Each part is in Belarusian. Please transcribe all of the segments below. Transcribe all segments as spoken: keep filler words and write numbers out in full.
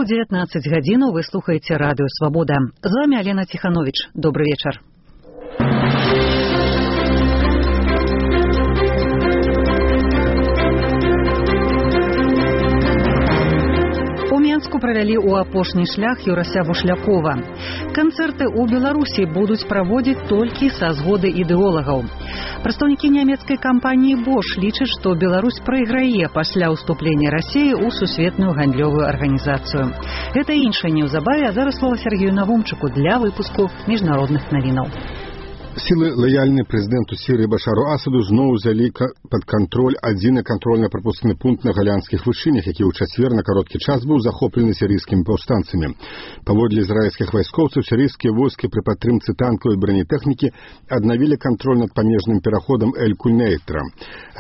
Беларуску дзевятнаццаць гадзінаў вы слухаеце радыё Свабода. З вами Алена Тиханович. Добрый вечер. Правялі ў апошні шлях Юрася Бушлякова. Канцэрты ў Беларусі будуць праводзіць толькі са згоды ідэолагаў. Прадстаўнікі нямецкай кампаніі Bosch лічаць, што Беларусь прайграе пасля ўступлення Расіі ў сусветную гандлёвую арганізацыю. Гэта іншае неўзабаве, а зараз слова Сергею Навумчыку для выпуску міжнародных навінаў. Сілы, лаяльныя прэзідэнту Сірыі Башару Асаду, зноў узялі пад кантроль адзіны кантрольна-прапускны пункт на галянскіх вышынях, які ў чацвер на кароткі час быў захоплены сірыйскімі паўстанцамі. Паводле ізраільскіх вайскоўцаў, сірыйскія войскі пры падтрымцы танкаў і бронетэхнікі аднавілі кантроль над памежным пераходам Эль-Кульнейтра.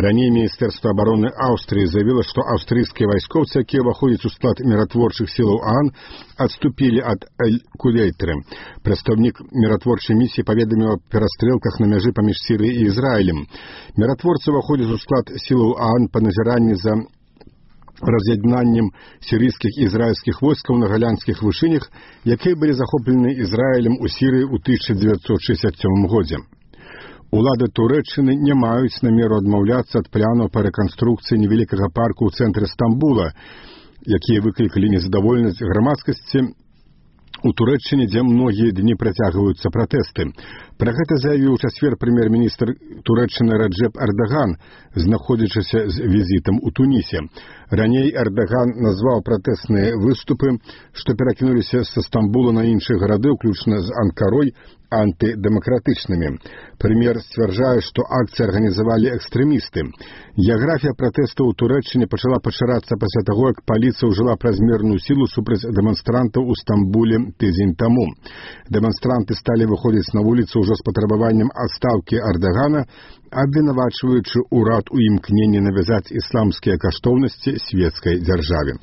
Раней Міністэрства абароны Аўстрыі заявіла, што аўстрыйскія вайскоўцы, якія ўваходзяць у склад міратворчых сілаў ААН, адступілі ад Эль-Кульнейтры. Прадстаўнік міратворчай місіі паведаміў аб перастрэлках на мяжы паміж Сірыяй і Ізраілем. Міратворцы ўваходзяць у склад сілаў ААН па назіранні за раз'яднаннем сірыйскіх і ізраільскіх войскаў на галянскіх вышынях, якія былі захоплены Ізраілем у Сірыі ў тысяча дзевяцьсот шэсцьдзесят сёмым годзе. Улады Турэччыны не маюць намеру адмаўляцца ад планаў па рэканструкцыі невялікага парку ў цэнтры Стамбула, якія выклікалі незадаволенасць грамадскасці у Турэччыне, дзе многія дні працягваюцца пратэсты. Пра гэта заявіў у чацвер прэм'ер-міністр Турэччыны Раджэп Эрдаган, знаходзячыся з візітам у Тунісе. Раней Эрдаган назваў пратэсныя выступы, што перакінуліся са Стамбула на іншыя гарады, уключна з Анкарой, антыдэмакратычнымі. Прэм'ер сцвярджае, што акцыі арганізавалі экстрэмісты. Геаграфія пратэстаў у Турэччыне пачала пашырацца пасля таго, як паліцыя ўжыла празмерную сілу супраць дэманстрантаў у Стамбуле тыдзень таму. Дэманстранты сталі выходзіць на вуліцу ўжо з патрабаваннем адстаўкі Эрдагана, абвінавачваючы ўрад у імкненні навязаць ісламскія каштоўнасці свецкай дзяржаве.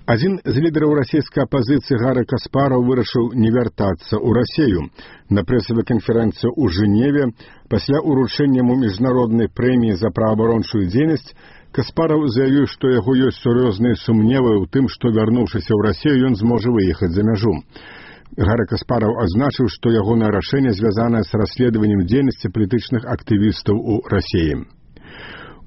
Адзін з лідараў расійскай апазіцыі Гары Каспараў вырашыў не вяртацца ў Расію. На прэсавай канферэнцыі ў Жэневе пасля ўручэння яму міжнароднай прэміі за праабарончую дзейнасць Каспараў заявіў, што яго ёсць сур'ёзныя сумневы ў тым, што, вярнуўшыся ў Расію, ён зможа выехаць за мяжу. Гара Каспараў азначыў, што ягонае рашэнне звязанае з расследаваннем дзейнасці палітычных актывістаў у Расіі.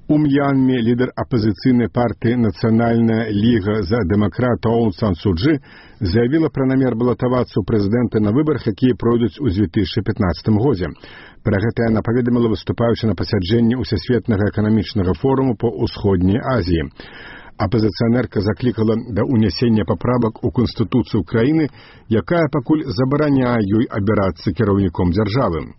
У М'янме лідар апазіцыйнай партыі «Нацыянальная ліга за дэмакрата» Аун Сан Су Чжы заявіла пра намер балатавацца ў прэзідэнты на выбарах, якія пройдуць у дзве тысячы пятнаццатым годзе. Пра гэта яна паведаміла, выступаючы на пасяджэнні ўсесветнага эканамічнага форуму па ўсходняй Азіі. Апазіцыянерка заклікала да ўнясення паправак у Канстытуцыю краіны, якая пакуль забараняе ёй абірацца кіраўніком дзяржавы.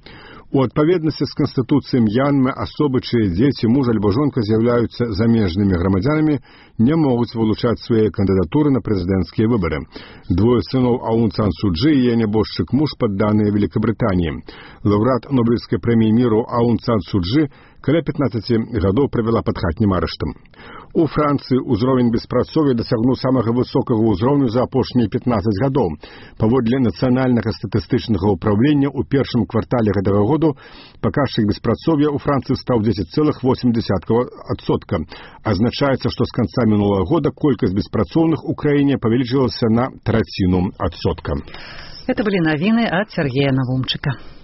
У адпаведнасці з Канстытуцыяй М'янмы асобы, чые дзеці, муж альбо жонка з'яўляюцца замежнымі грамадзянамі, не могуць вылучаць свае кандыдатуры на прэзідэнцкія выбары. Двое сыноў Аун Сан Су Чжы і яе нябожчык муж падданыя Великабрытаніі. Лаўрэат Нобелеўскай прэміі міру Аун Сан Су Чжы каля пятнаццаці гадоў правяла пад хатнім арыштам. У Францыі ўзровень беспрацоўя дасягнуў самага высокага ўзроўню за апошнія пятнаццаць гадоў. Паводле нацыянальнага статыстычнага ўпраўлення ў першым квартале гэтага году паказчык беспрацоўя ў Францыі стаў дзесяць цэлых восем дзесятых адсотка. Азначаецца, што з канца мінулага года колькасць беспрацоўных у краіне павялічылася на траціну адсотка. Это были навіны ад Сергея Навумчыка.